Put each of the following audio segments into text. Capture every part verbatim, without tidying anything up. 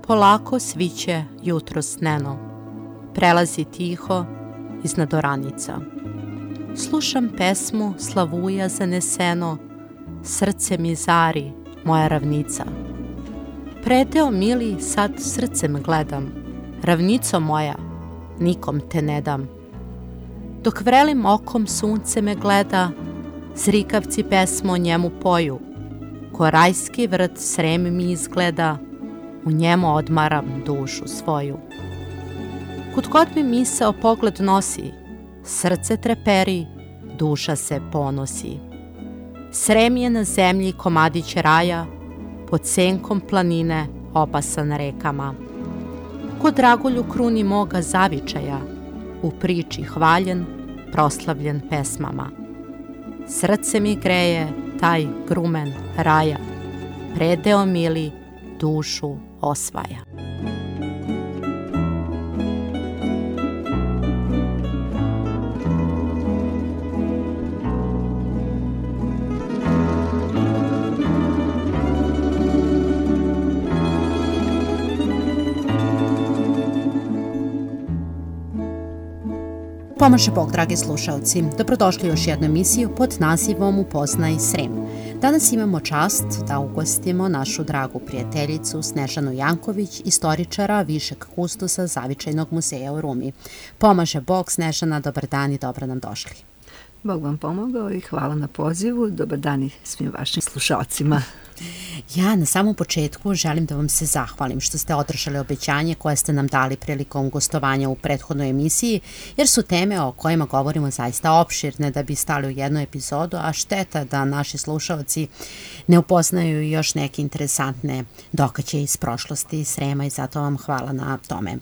polako sviće jutro sneno, prelazi tiho iznad oranica. Slušam pesmu slavuja zaneseno, srce mi zari, moja ravnica. Predeo mili sad srcem gledam, ravnico moja, nikom te ne dam. Dok vrelim okom sunce me gleda, zrikavci pesmu o njemu poju, ko rajski vrt Srem mi izgleda, u njemu odmaram dušu svoju. Kud god mi misao pogled nosi, srce treperi, duša se ponosi. Srem je na zemlji komadić raja, pod senkom planine opasan rekama. Ko dragulju kruni moga zavičaja, u priči hvaljen, proslavljen pesmama. Srce mi greje taj grumen raja, predeo mili dušu osvaja. Pomaže Bog, dragi slušalci. Dobrodošli u još jednu emisiju pod nazivom Upoznaj Srem. Danas imamo čast da ugostimo našu dragu prijateljicu Snežanu Janković, istoričara višeg kustosa Zavičajnog muzeja u Rumi. Pomaže Bog, Snežana, dobar dan i dobro nam došli. Bog vam pomogao i hvala na pozivu. Dobar dan i svim vašim slušalcima. Ja na samom početku želim da vam se zahvalim što ste održali obećanje koje ste nam dali prilikom gostovanja u prethodnoj emisiji, jer su teme o kojima govorimo zaista opširne da bi stali u jednu epizodu, a šteta da naši slušalci ne upoznaju još neke interesantne događaje iz prošlosti Srema i zato vam hvala na tome.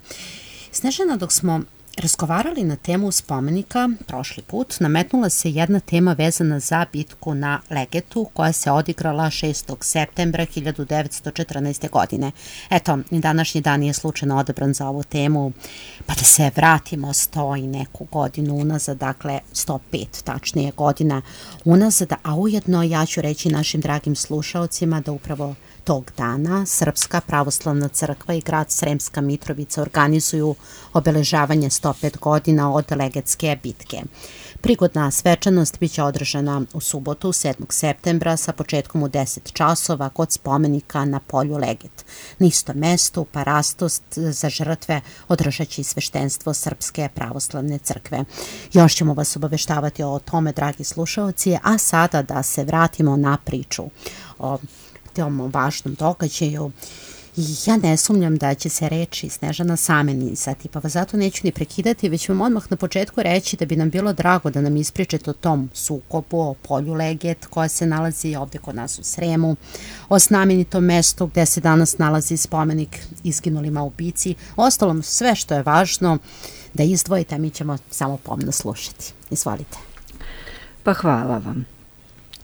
Snežana, dok smo razgovarali na temu spomenika prošli put, nametnula se jedna tema vezana za bitku na Legetu koja se odigrala šestog septembra hiljadu devetsto četrnaeste. godine. Eto, i današnji dan je slučajno odabran za ovu temu, pa da se vratimo sto i neku godinu unazad, dakle sto pet tačnije godina unazad, a ujedno ja ću reći našim dragim slušaocima da upravo tog dana Srpska pravoslavna crkva i grad Sremska Mitrovica organizuju obeležavanje sto pet godina od Legetske bitke. Prigodna svečanost biće održana u subotu sedmog septembra sa početkom u deset časova kod spomenika na polju Leget. Na istom mestu parastost za žrtve održat će i sveštenstvo Srpske pravoslavne crkve. Još ćemo vas obaveštavati o tome, dragi slušalci, a sada da se vratimo na priču o tom važnom događaju. Ja ne sumnjam da će se reči Snežana same nizati, pa vas zato neću ni prekidati, već vam odmah na početku reći da bi nam bilo drago da nam ispričate o tom sukobu, o polju Leget koja se nalazi ovdje kod nas u Sremu, o znamenitom mestu gde se danas nalazi spomenik izginulima u bici, ostalom sve što je važno da izdvojite, a mi ćemo samo pomno slušati. Izvolite. Pa hvala vam.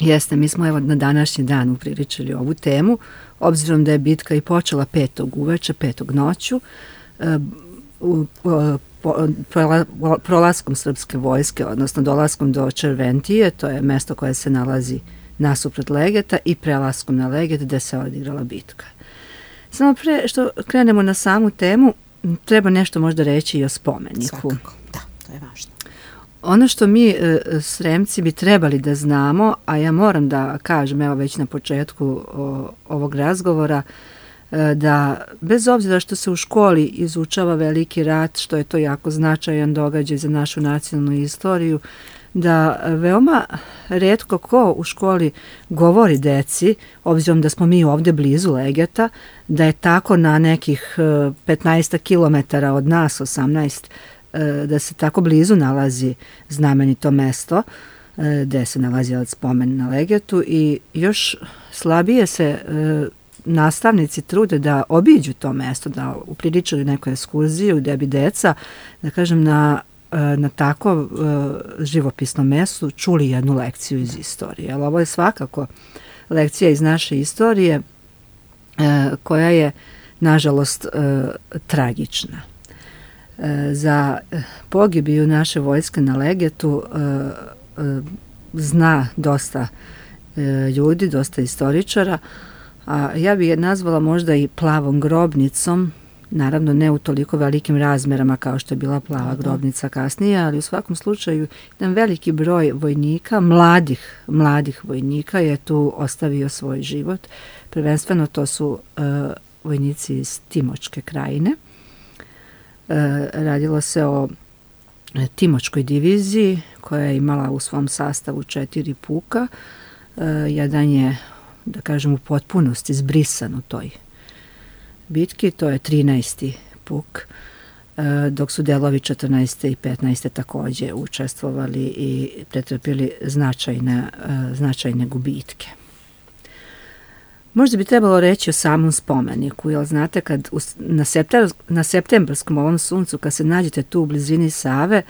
Jeste, mi smo evo na današnji dan upriličili ovu temu, obzirom da je bitka i počela petog uveče, petog noću, e, u, po, prola, prolaskom srpske vojske, odnosno dolaskom do Červentije, to je mesto koje se nalazi nasuprot Legeta, i prelaskom na Leget gde se odigrala bitka. Samo pre što krenemo na samu temu, treba nešto možda reći i o spomeniku. Svakako, da, to je važno. Ono što mi e, Sremci bi trebali da znamo, a ja moram da kažem evo već na početku o, ovog razgovora, e, da bez obzira što se u školi izučava veliki rat, što je to jako značajan događaj za našu nacionalnu istoriju, da veoma retko ko u školi govori deci, obzirom da smo mi ovdje blizu Legeta, da je tako na nekih petnaest kilometara od nas, osamnaest, da se tako blizu nalazi znamenito mesto gde se nalazi spomen na Legetu, i još slabije se nastavnici trude da obiđu to mesto, da upriličaju neku ekskurziju gde bi deca, da kažem, na, na tako živopisnom mestu čuli jednu lekciju iz istorije. Ali ovo je svakako lekcija iz naše istorije koja je, nažalost, tragična. Za pogibiju naše vojske na Legetu zna dosta ljudi, dosta istoričara, A ja bi je nazvala možda i plavom grobnicom, naravno ne u toliko velikim razmerama kao što je bila plava grobnica kasnije, ali u svakom slučaju jedan veliki broj vojnika, mladih, mladih vojnika je tu ostavio svoj život. Prvenstveno to su uh, vojnici iz Timočke krajine. Uh, radilo se o Timočkoj diviziji koja je imala u svom sastavu četiri puka. Uh, jedan je, da kažem, u potpunosti zbrisan u toj bitki, to je trinaesti puk, dok su delovi četrnaeste i petnaeste takođe učestvovali i pretrpili značajne, značajne gubitke. Možda bi trebalo reći o samom spomeniku, jer znate, kad u, na, septem, na septembarskom ovom suncu, kad se nađete tu u blizini Save,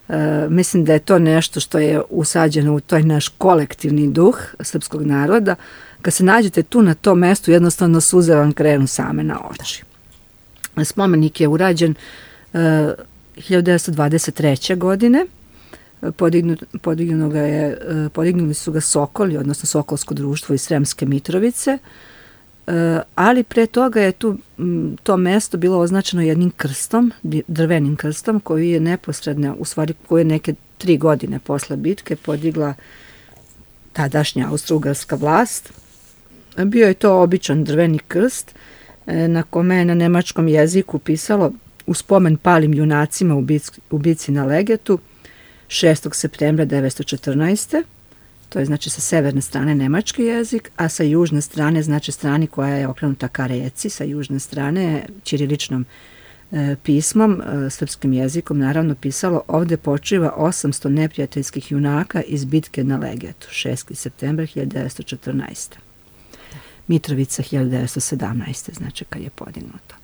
uh, mislim da je to nešto što je usađeno u toj naš kolektivni duh srpskog naroda. Kad se nađete tu na tom mestu, jednostavno suze vam krenu same na oči. Spomenik je urađen uh, hiljadu devetsto dvadeset treće. godine. Podignu, podignu ga je, uh, podignuli su ga Sokoli, odnosno Sokolsko društvo iz Sremske Mitrovice, uh, ali pre toga je tu m, to mesto bilo označeno jednim krstom, drvenim krstom, koji je neposredno, u stvari koji je neke tri godine posle bitke podigla tadašnja austrougarska vlast. Bio je to običan drveni krst na kome je na nemačkom jeziku pisalo u spomen palim junacima u bici, u bici na Legetu šestog septembra devetsto četrnaeste. To je znači sa severne strane nemački jezik, a sa južne strane, znači strani koja je okrenuta ka reci, sa južne strane ćiriličnom e, pismom, e, srpskim jezikom, naravno pisalo ovde počiva osamsto neprijateljskih junaka iz bitke na Legetu, šestog septembra hiljadu devetsto četrnaeste. Mitrovica hiljadu devetsto sedamnaeste. znači kad je podignuto.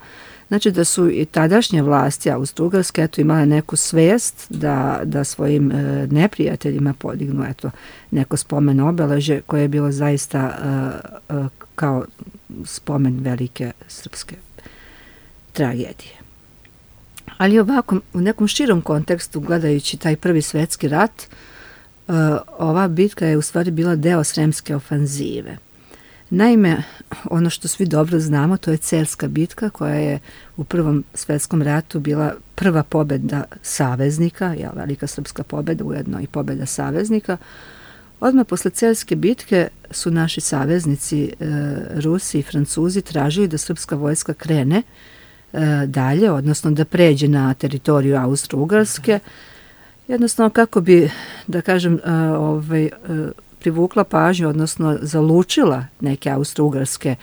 Znači da su i tadašnje vlasti Austrougarske eto imale neku svest da, da svojim e, neprijateljima podignu eto neko spomen obeležje koje je bilo zaista e, e, kao spomen velike srpske tragedije. Ali ovako, u nekom širom kontekstu, gledajući taj prvi svetski rat, e, ova bitka je u stvari bila deo Sremske ofanzive. Naime, ono što svi dobro znamo, to je Cerska bitka koja je u Prvom svetskom ratu bila prva pobeda saveznika, ja, velika srpska pobeda, ujedno i pobeda saveznika. Odmah posle Cerske bitke su naši saveznici, e, Rusi i Francuzi, tražili da srpska vojska krene e, dalje, odnosno da pređe na teritoriju Austro-Ugarske, jednostavno kako bi, da kažem, e, ovaj, e, privukla pažnju, odnosno zalučila neke austrougarske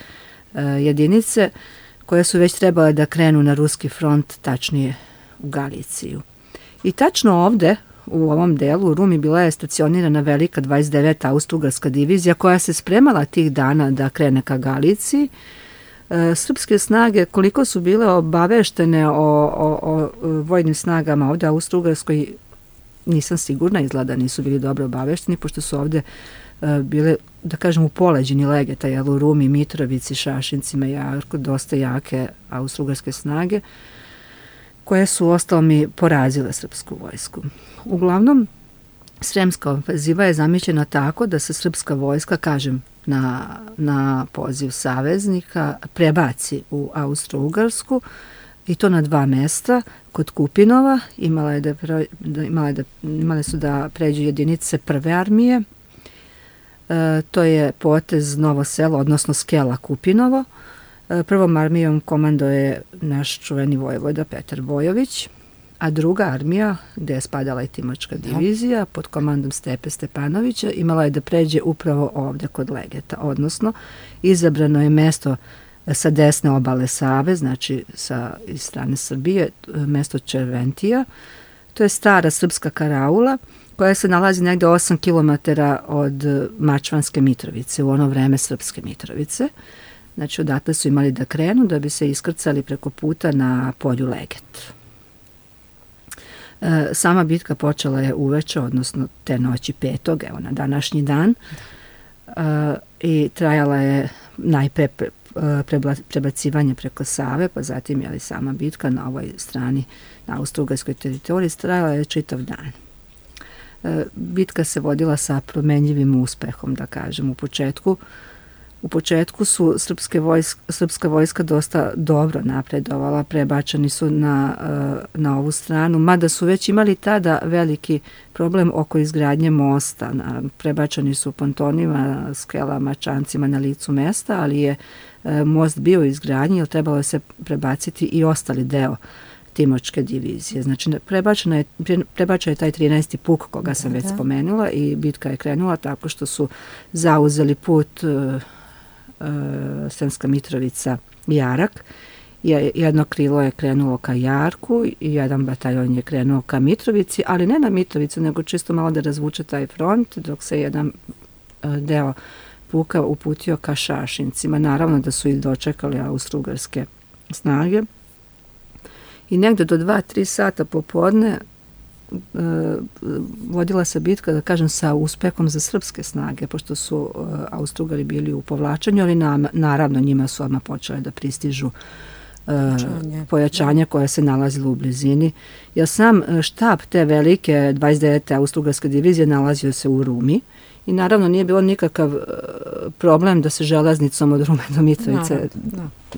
e, jedinice koje su već trebale da krenu na ruski front, tačnije u Galiciju. I tačno ovde, u ovom delu, u Rumi bila je stacionirana velika dvadeset deveta austrougarska divizija koja se spremala tih dana da krene ka Galiciji. E, srpske snage, koliko su bile obaveštene o, o, o vojnim snagama ovde Austrougarskoj, nisam sigurna, izgleda nisu bili dobro obavešteni, pošto su ovde uh, bile, da kažem, u poleđini Legeta, jel, u Rumi, Mitrovici, Šašincima, jako, dosta jake austrougarske snage, koje su ostalo mi porazile srpsku vojsku. Uglavnom, Sremska ofenziva je zamišljena tako da se srpska vojska, kažem, na, na poziv saveznika prebaci u Austro-Ugarsku, i to na dva mesta. Kod Kupinova imala je da, da, imala je da, imale su da pređu jedinice prve armije. E, to je potez Novo selo, odnosno Skela Kupinovo. E, prvom armijom komando je naš čuveni vojvoda Petar Bojović, a druga armija, gde je spadala i Timočka divizija, pod komandom Stepe Stepanovića, imala je da pređe upravo ovde kod Legeta, odnosno izabrano je mesto sa desne obale Save, znači sa iz strane Srbije, mesto Červentija. To je stara srpska karaula koja se nalazi negde osam kilometara od Mačvanske Mitrovice, u ono vreme Srpske Mitrovice. Znači odatle su imali da krenu da bi se iskrcali preko puta na polju Leget. E, sama bitka počela je uveče, odnosno te noći petog, evo na današnji dan, e, i trajala je najpre pre, prebacivanje preko Save, pa zatim je li sama bitka na ovoj strani, na austrougarskoj teritoriji, trajala je čitav dan. E, bitka se vodila sa promenljivim uspehom, da kažem. U početku U početku su srpske vojsk, srpska vojska dosta dobro napredovala, prebačeni su na, na ovu stranu, mada su već imali tada veliki problem oko izgradnje mosta. Prebačeni su pontonima, skelama, čancima na licu mesta, ali je most bio u izgradnji, jer trebalo je se prebaciti i ostali deo Timočke divizije. Znači, prebačena je, prebačen je taj trinaesti puk koga sam da, već da. spomenula i bitka je krenula tako što su zauzeli put uh, uh, Sremska Mitrovica Jarak. Jedno krilo je krenulo ka Jarku i jedan bataljon je krenuo ka Mitrovici, ali ne na Mitrovicu, nego čisto malo da razvuče taj front, dok se jedan uh, deo puka uputio ka Šašincima. Naravno da su ih dočekali austrougarske snage. I negde do dva tri sata popodne e, vodila se bitka, da kažem, sa uspehom za srpske snage, pošto su e, Austrougari bili u povlačenju, ali na, naravno njima su odmah počele da pristižu e, pojačanja koja se nalazilo u blizini. Jer sam štab te velike dvadeset devete Austrougarske divizije nalazio se u Rumi i naravno nije bilo nikakav problem da se železnicom od Rume do Mitrovice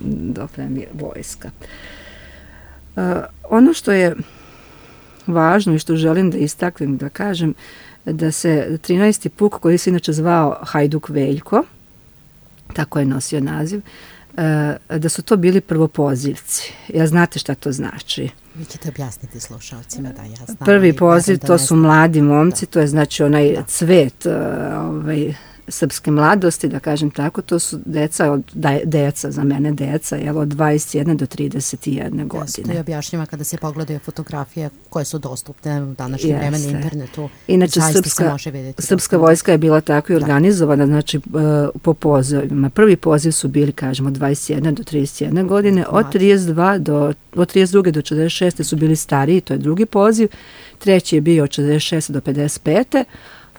dopremi vojska. Uh, ono što je važno i što želim da istaknem, da kažem, da se trinaesti puk, koji se inače zvao Hajduk Veljko, tako je nosio naziv, uh, da su to bili prvopozivci. Ja znate šta to znači? Vi ćete objasniti slušalcima da ja znam. Prvi poziv, to su mladi momci, da. To je znači onaj da. cvet uh, ovaj, srpske mladosti, da kažem tako, to su deca, od, da, deca za mene deca, evo, od dvadeset jedne do trideset jedne godine. To je objašnjava kada se pogledaju fotografije koje su dostupne u današnjem vremenu na internetu. Inače, srpska, srpska vojska je bila tako i organizovana, da. znači po pozivima. Prvi poziv su bili, kažemo, od dvadeset jedne do trideset jedne godine, od trideset dva do, od trideset druge do četrdeset šeste su bili stariji, to je drugi poziv, treći je bio od četrdeset šeste do pedeset pete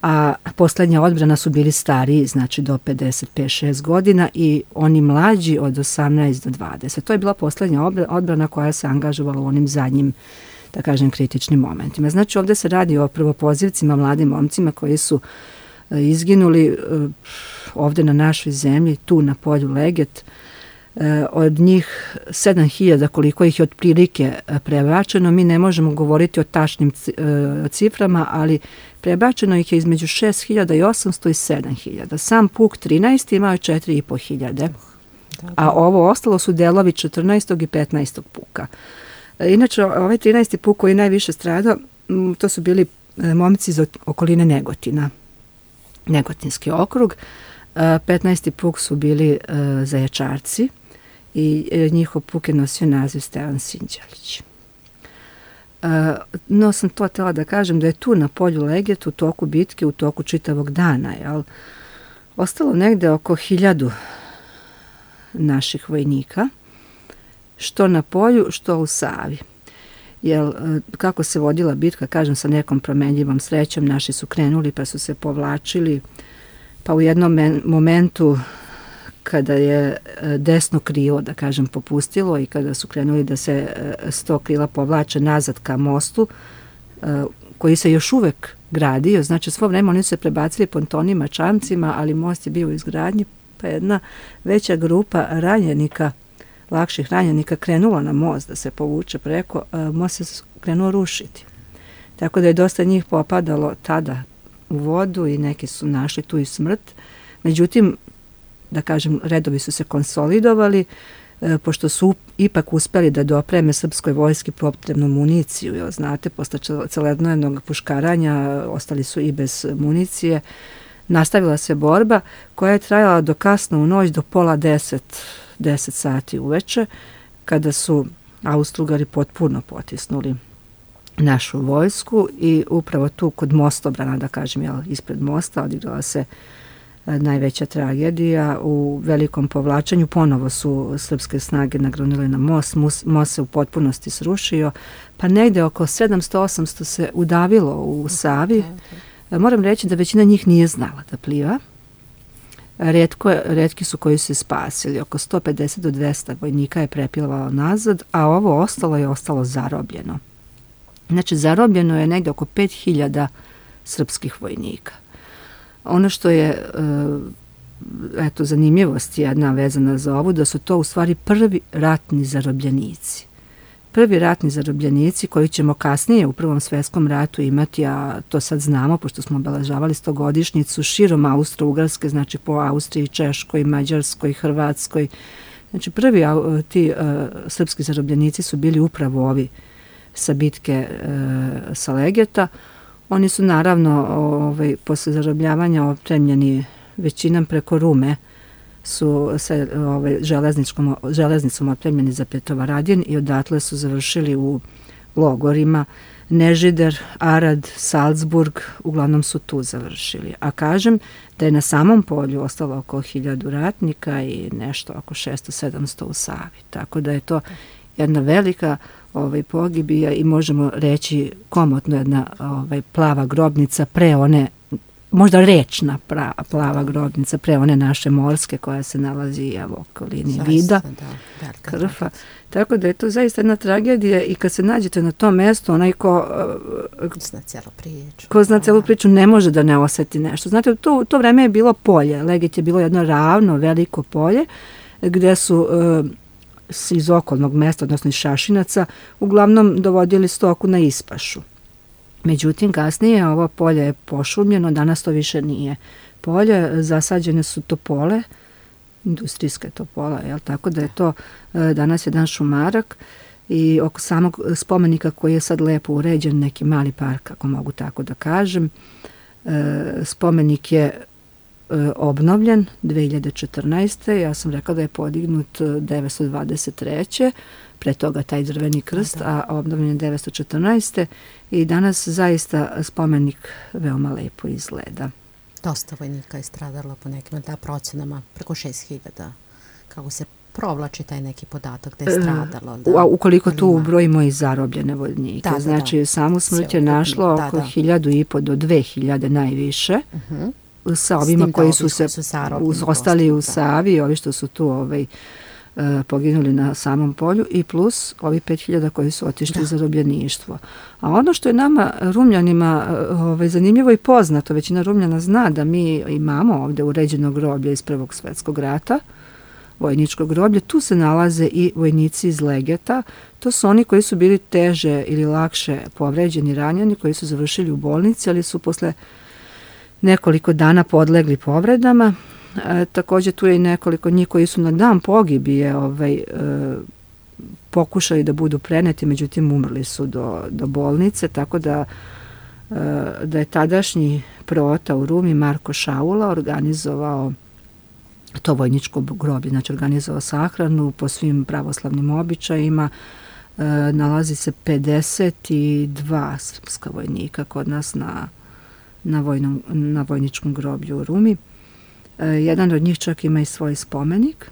a poslednja odbrana su bili stariji, znači do pedeset pet šest godina i oni mlađi od osamnaest do dvadeset. To je bila poslednja odbrana koja se angažovala u onim zadnjim, da kažem, kritičnim momentima. Znači ovdje se radi o prvopozivcima, mladim momcima koji su izginuli ovdje na našoj zemlji, tu na polju Leget. Od njih sedam hiljada, koliko ih je otprilike prebačeno, mi ne možemo govoriti o tačnim ciframa, ali prebačeno ih je između šest hiljada i osamsto i sedam hiljada. Sam puk trinaesti imao je četiri i po hiljade, a ovo ostalo su delovi četrnaestog i petnaestog puka. Inače, ovaj trinaesti puk koji najviše stradao, to su bili momci iz okoline Negotina, Negotinski okrug. petnaesti puk su bili Zajačarci i njihov puk je nosio naziv Stevan Sinđelić. No sam to htjela da kažem da je tu na polju Leget u toku bitke, u toku čitavog dana, jel, ostalo negde oko hiljadu naših vojnika, što na polju, što u Savi. Jer kako se vodila bitka, kažem, sa nekom promenljivom srećom, naši su krenuli pa su se povlačili, pa u jednom momentu kada je desno krilo, da kažem, popustilo i kada su krenuli da se sto krila povlače nazad ka mostu, koji se još uvek gradio, znači svo vreme oni su se prebacili pontonima, čamcima, ali most je bio u izgradnji, pa jedna veća grupa ranjenika, lakših ranjenika krenula na most da se povuče preko, most se krenuo rušiti. Tako da je dosta njih popadalo tada u vodu i neki su našli tu i smrt. Međutim, da kažem, redovi su se konsolidovali, e, pošto su ipak uspeli da dopreme srpskoj vojski potrebnu municiju. Jer, znate, posle celednevnog puškaranja ostali su i bez municije. Nastavila se borba koja je trajala do kasno u noć, do pola deset, deset sati uveče, kada su Austrougari potpuno potisnuli našu vojsku i upravo tu kod mostobrana, da kažem, jel, ispred mosta odigrala se e, najveća tragedija. U velikom povlačenju ponovo su srpske snage nagrunile na most, Mus, most se u potpunosti srušio, pa negde oko sedamsto osamsto se udavilo u Savi. E, moram reći da većina njih nije znala da pliva. Retko, retki su koji su se spasili, oko sto pedeset do dvesta vojnika je prepilvalo nazad, a ovo ostalo je ostalo zarobljeno. Znači, zarobljeno je negdje oko pet hiljada srpskih vojnika. Ono što je e, eto, zanimljivost jedna vezana za ovu, da su to u stvari prvi ratni zarobljenici. Prvi ratni zarobljenici koji ćemo kasnije u Prvom svjetskom ratu imati, a to sad znamo, pošto smo obeležavali stogodišnjicu širom Austro-Ugarske, znači po Austriji, Češkoj, Mađarskoj, Hrvatskoj. Znači prvi ti uh, srpski zarobljenici su bili upravo ovi sa bitke uh, sa Legeta. Oni su naravno ovaj, posle zarobljavanja opremljeni većinom preko Rume, su se ovaj, železničkom, železnicom opremljeni za Petrovaradin i odatle su završili u logorima Nežider, Arad, Salzburg, uglavnom su tu završili. A kažem da je na samom polju ostalo oko hiljadu ratnika i nešto oko šesto sedamsto u Savi. Tako da je to jedna velika ovaj, pogibija i možemo reći komotno jedna ovaj, plava grobnica pre one, možda rečna pra, plava grobnica pre one naše morske koja se nalazi evo, okolini zaista, Vida, da, Krfa. Tako da je to zaista jedna tragedija i kad se nađete na tom mjestu, onaj ko, ko zna cijelu priču, ko zna cijelu priču ne može da ne osjeti nešto. Znate, to, to vreme je bilo polje. Leget je bilo jedno ravno, veliko polje gdje su e, iz okolnog mjesta, odnosno iz Šašinaca, uglavnom dovodili stoku na ispašu. Međutim, kasnije ovo polje je pošumljeno, danas to više nije polje, zasađene su topole, industrijske topola, jel? Tako da je to e, danas jedan šumarak i oko samog spomenika koji je sad lepo uređen, neki mali park, ako mogu tako da kažem. E, spomenik je e, obnovljen dve hiljade četrnaeste. Ja sam rekla da je podignut devetsto dvadeset treće pre toga taj drveni krst, a obnovljen je devetsto četrnaeste. i danas zaista spomenik veoma lepo izgleda. Dosta vojnika je stradalo po nekim da procenama, preko šest hiljada, kako se provlači taj neki podatak da je stradalo. Da, a ukoliko tu ubrojimo i zarobljene vojnike, da, da, znači da. Samu smrt je našlo da, oko da. hiljadu i po do dve hiljade najviše, uh-huh. sa ovima koji su se su ostali u Savi, ovi što su tu ovaj, uh, poginuli na samom polju i plus ovi pet hiljada koji su otišli da. zarobljeništvo. A ono što je nama Rumljanima ovaj, zanimljivo i poznato, većina Rumljana zna da mi imamo ovdje uređeno groblje iz Prvog svjetskog rata, vojničko groblje, tu se nalaze i vojnici iz Legeta. To su oni koji su bili teže ili lakše povređeni, ranjeni, koji su završili u bolnici, ali su posle nekoliko dana podlegli povredama. E, također tu je i nekoliko njih koji su na dan pogibije ovaj, e, pokušali da budu preneti, međutim umrli su do, do bolnice, tako da, e, da je tadašnji proota u Rumi Marko Šaula organizovao to vojničko groblje, znači organizovao sahranu po svim pravoslavnim običajima. E, nalazi se pedeset dva srpska vojnika kod nas na, na, vojnom, na vojničkom groblju u Rumi. E, jedan od njih čak ima i svoj spomenik.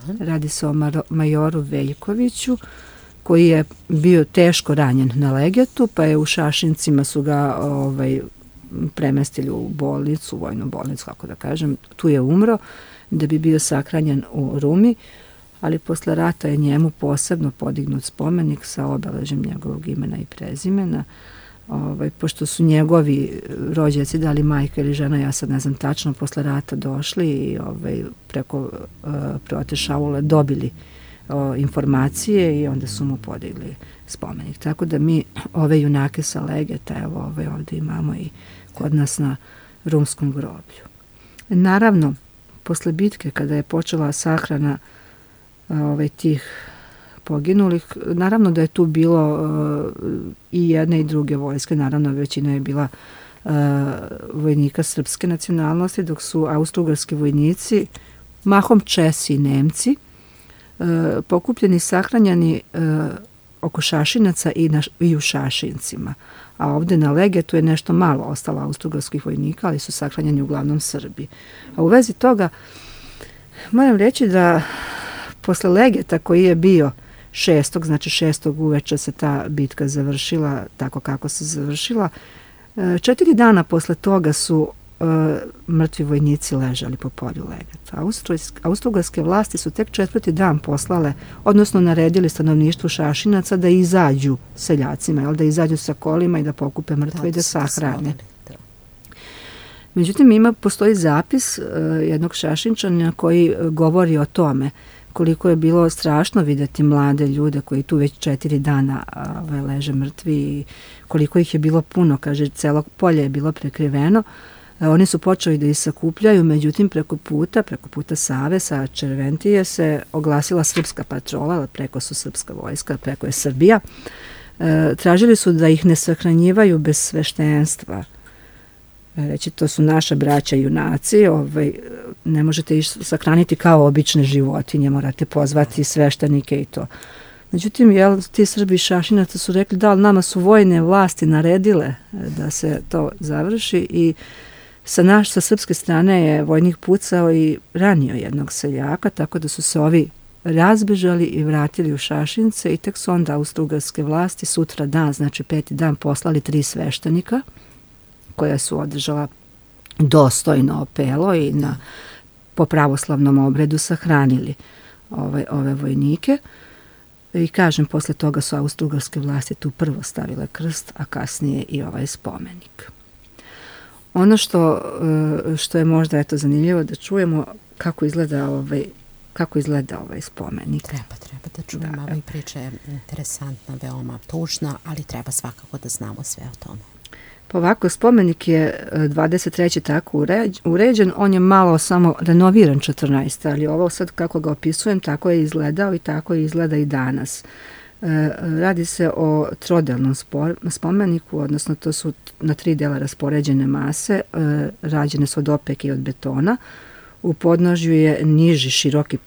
Da. Radi se o Maro, majoru Veljkoviću, koji je bio teško ranjen na Legetu, pa je u Šašincima su ga ovaj, premestili u bolnicu, vojnu bolnicu, kako da kažem. Tu je umro da bi bio sahranjen u Rumi, ali posle rata je njemu posebno podignut spomenik sa obeležjem njegovog imena i prezimena. Ovaj, pošto su njegovi rođaci, da li majka ili žena, ja sad ne znam tačno, posle rata došli i ovaj, preko uh, prote Šaule dobili uh, informacije i onda su mu podigli spomenik. Tako da mi ove junake sa Legeta, evo ove ovdje imamo i kod nas na rumskom groblju. Naravno, posle bitke, kada je počela sahrana ovaj, tih poginulih, naravno da je tu bilo uh, i jedne i druge vojske, naravno većina je bila uh, vojnika srpske nacionalnosti, dok su austrougarski vojnici, mahom Česi i Nemci, uh, pokupljeni, sahranjani uh, oko Šašinaca i, na, i u Šašincima. A ovdje na Legetu je nešto malo ostalo austrougarskih vojnika, ali su sahranjeni uglavnom Srbi. A u vezi toga moram reći da posle Legeta koji je bio šestog, znači šestog uveče se ta bitka završila tako kako se završila, četiri dana posle toga su uh, mrtvi vojnici ležali po polju Legeta. Austrougarske vlasti su tek četvrti dan poslale, odnosno naredili stanovništvu Šašinaca da izađu seljacima, jel, da izađu sa kolima i da pokupe mrtve da, i da sahrane. Međutim, ima, postoji zapis jednog Šašinčanina koji govori o tome koliko je bilo strašno vidjeti mlade ljude koji tu već četiri dana ove, leže mrtvi i koliko ih je bilo puno, kaže, celo polje je bilo prekriveno. E, oni su počeli da ih sakupljaju, međutim preko puta, preko puta Save sa Červentije se oglasila srpska patrola, preko su srpska vojska, preko je Srbija. E, tražili su da ih ne sahranjivaju bez sveštenstva. Reći, to su naša braća junaci, ovaj, ne možete ih sahraniti kao obične životinje, morate pozvati sveštenike i to. Međutim, jel, ti Srbi Šašinaca su rekli da, ali nama su vojne vlasti naredile da se to završi i sa naš, sa srpske strane je vojnik pucao i ranio jednog seljaka, tako da su se ovi razbežali i vratili u Šašince i tek su onda austrougarske vlasti sutra dan, znači peti dan, poslali tri sveštenika koja su održala dostojno opelo i na, po pravoslavnom obredu sahranili ove, ove vojnike. I kažem, posle toga su austrougarske vlasti tu prvo stavile krst, a kasnije i ovaj spomenik. Ono što, što je možda eto zanimljivo da čujemo kako izgleda ovaj, kako izgleda ovaj spomenik. Treba, treba da čujemo. Ova priča je interesantna, veoma tužna, ali treba svakako da znamo sve o tome. Pa ovako, spomenik je dvadeset treće tako uređen, on je malo samo renoviran četrnaeste. ali ovo sad kako ga opisujem, tako je izgledao i tako je izgleda i danas. E, radi se o trodelnom spomeniku, odnosno to su na tri dela raspoređene mase, e, rađene su od opeke i od betona. U podnožju je niži široki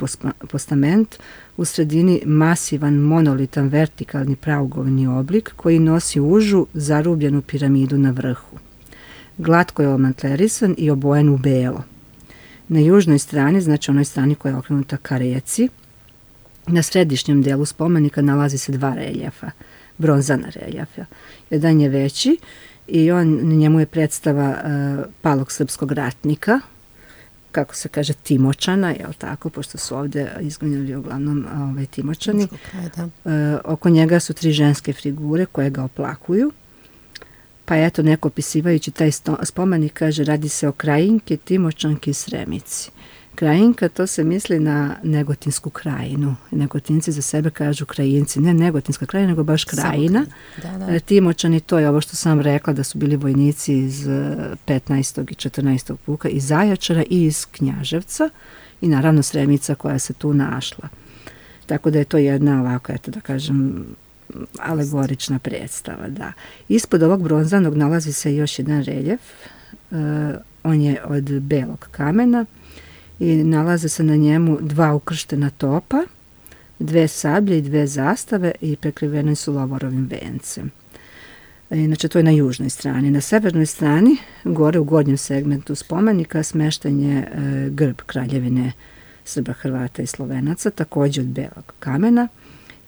postament, u sredini masivan monolitan vertikalni praugovni oblik koji nosi užu zarubljenu piramidu na vrhu. Glatko je omantlerisan i obojen u belo. Na južnoj strani, znači onoj strani koja je okrenuta ka reci, na središnjem delu spomenika nalazi se dva reljefa, bronzana reljefa. Jedan je veći i on, njemu je predstava uh, palog srpskog ratnika, kako se kaže, Timočana, jel tako, pošto su ovdje izginuli uglavnom ove Timočani. E, oko njega su tri ženske figure koje ga oplakuju. Pa eto, neko opisivajući taj spomenik kaže, radi se o Krajinki, Timočanki i Sremici. Krajinka, to se misli na Negotinsku krajinu. Negotinci za sebe kažu Krajinci, ne Negotinska krajina, nego baš krajina. Da, da. Timočani, to je ovo što sam rekla, da su bili vojnici iz petnaestog i četrnaestog puka, iz Zaječara i iz Knjaževca i naravno Sremica koja se tu našla. Tako da je to jedna ovako, eto da kažem, alegorična predstava. Da. Ispod ovog bronzanog nalazi se još jedan reljef. Uh, on je od belog kamena i nalaze se na njemu dva ukrštena topa, dve sablje i dve zastave i prekriveni su lovorovim vencem. Inače, to je na južnoj strani. Na severnoj strani, gore u gornjem segmentu spomenika, smešten je e, grb Kraljevine Srba, Hrvata i Slovenaca, također od belog kamena.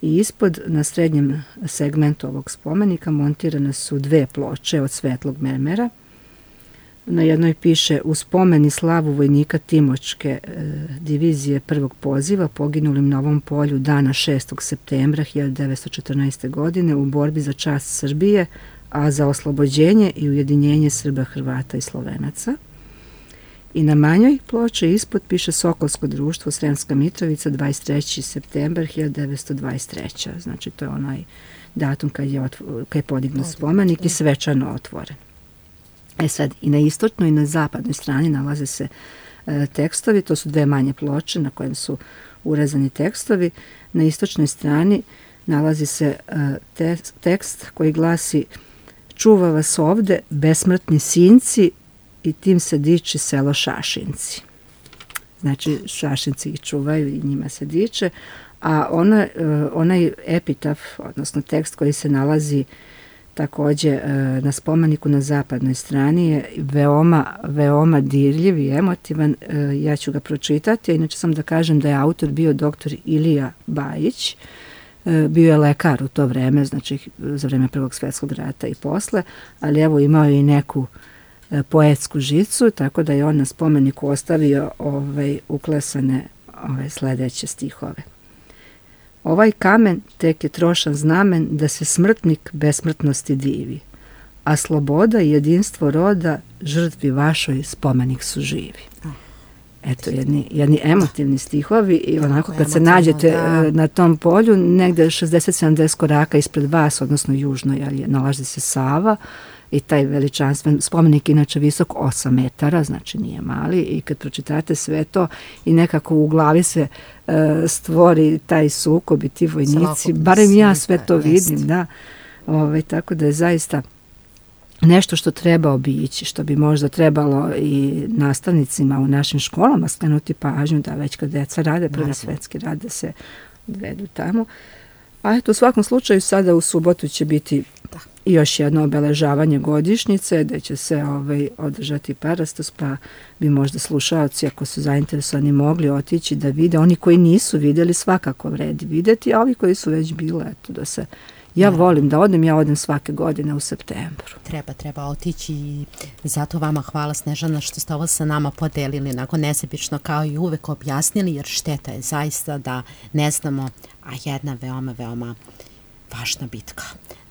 I ispod, na srednjem segmentu ovog spomenika, montirane su dve ploče od svetlog mermera. Na jednoj piše u spomen i slavu vojnika Timočke e, divizije prvog poziva poginulim na ovom polju dana šestog septembra hiljadu devetsto četrnaeste. godine u borbi za čast Srbije, a za oslobođenje i ujedinjenje Srba, Hrvata i Slovenaca. I na manjoj ploči ispod piše Sokolsko društvo Sremska Mitrovica dvadeset treći septembar hiljadu devetsto dvadeset treće. Znači to je onaj datum kad je, otvo, kad je podignut spomenik i svečano otvoren. E sad, i na istočnoj i na zapadnoj strani nalaze se e, tekstovi, to su dve manje ploče na kojem su urezani tekstovi. Na istočnoj strani nalazi se e, te, tekst koji glasi: čuva vas ovde besmrtni sinci i tim se diči selo Šašinci. Znači, Šašinci ih čuvaju i njima se diče, a ona, e, onaj epitaf, odnosno tekst koji se nalazi također na spomeniku na zapadnoj strani je veoma, veoma dirljiv i emotivan. Ja ću ga pročitati, a inače sam da kažem da je autor bio doktor Ilija Bajić. Bio je lekar u to vreme, znači za vreme Prvog svjetskog rata i posle, ali evo imao je i neku poetsku žicu, tako da je on na spomeniku ostavio ovaj, uklesane ove sledeće stihove. Ovaj kamen tek je trošan znamen da se smrtnik besmrtnosti divi. a sloboda i jedinstvo roda žrtvi vašoj spomenik su živi. Eto, jedni, jedni emotivni stihovi i onako kad se nađete da. na tom polju, negde šezdeset sedamdeset koraka ispred vas, odnosno južno, jer je, nalazi se Sava i taj veličanstven spomenik inače visok osam metara, znači nije mali, i kad pročitate sve to i nekako u glavi se uh, stvori taj sukob i ti vojnici, barem ja sve to vidim, jest. da. Ove, tako da je zaista nešto što treba obići, što bi možda trebalo i nastavnicima u našim školama skrenuti pažnju da već kad deca rade prvi svetski rad da se odvedu tamo. A eto, u svakom slučaju sada u subotu će biti da. još jedno obeležavanje godišnjice gde će se ovaj, održati parastos, pa bi možda slušaoci, ako su zainteresovani, mogli otići da vide. Oni koji nisu vidjeli svakako vredi vidjeti, a ovi koji su već bile, eto, da se Ja volim da odem, ja odem svake godine u septembru. Treba, treba otići i zato vama hvala, Snežana, što ste ovo sa nama podelili, onako nesebično kao i uvek objasnili, jer šteta je zaista da ne znamo, a jedna veoma, veoma važna bitka.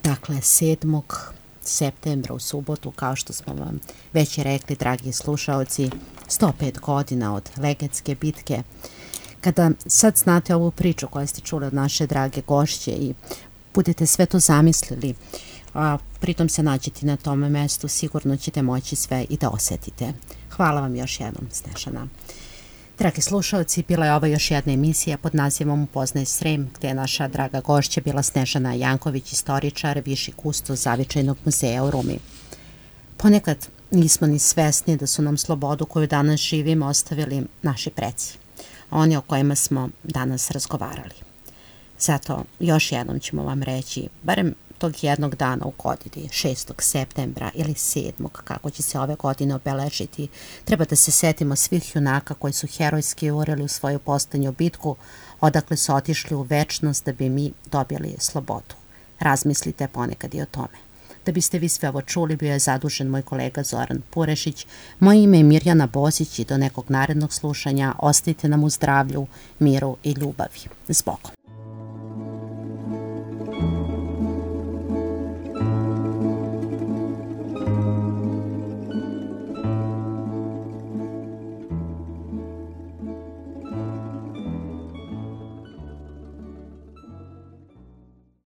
Dakle, sedmog septembra u subotu, kao što smo vam već i rekli, dragi slušaoci, sto pet godina od Legenske bitke. Kada sad znate ovu priču koju ste čuli od naše drage gošće i budete sve to zamislili, a pritom se nađete na tome mestu, sigurno ćete moći sve i da osjetite. Hvala vam još jednom, Snežana. Dragi slušalci, bila je ova još jedna emisija pod nazivom Upoznaj Srem, gdje je naša draga gošća bila Snežana Janković, istoričar, viši kustos Zavičajnog muzeja u Rumi. Ponekad nismo ni svesni da su nam slobodu koju danas živimo ostavili naši preci, oni o kojima smo danas razgovarali. Zato još jednom ćemo vam reći, barem tog jednog dana u godini, šestog septembra ili sedmog, kako će se ove godine obeležiti, treba da se setimo svih junaka koji su herojski urili u svoju posljednju bitku, odakle su otišli u večnost da bi mi dobili slobodu. Razmislite ponekad i o tome. Da biste vi sve ovo čuli, bio je zadužen moj kolega Zoran Purešić. Moje ime je Mirjana Bozić i do nekog narednog slušanja ostajte nam u zdravlju, miru i ljubavi. S Bogom.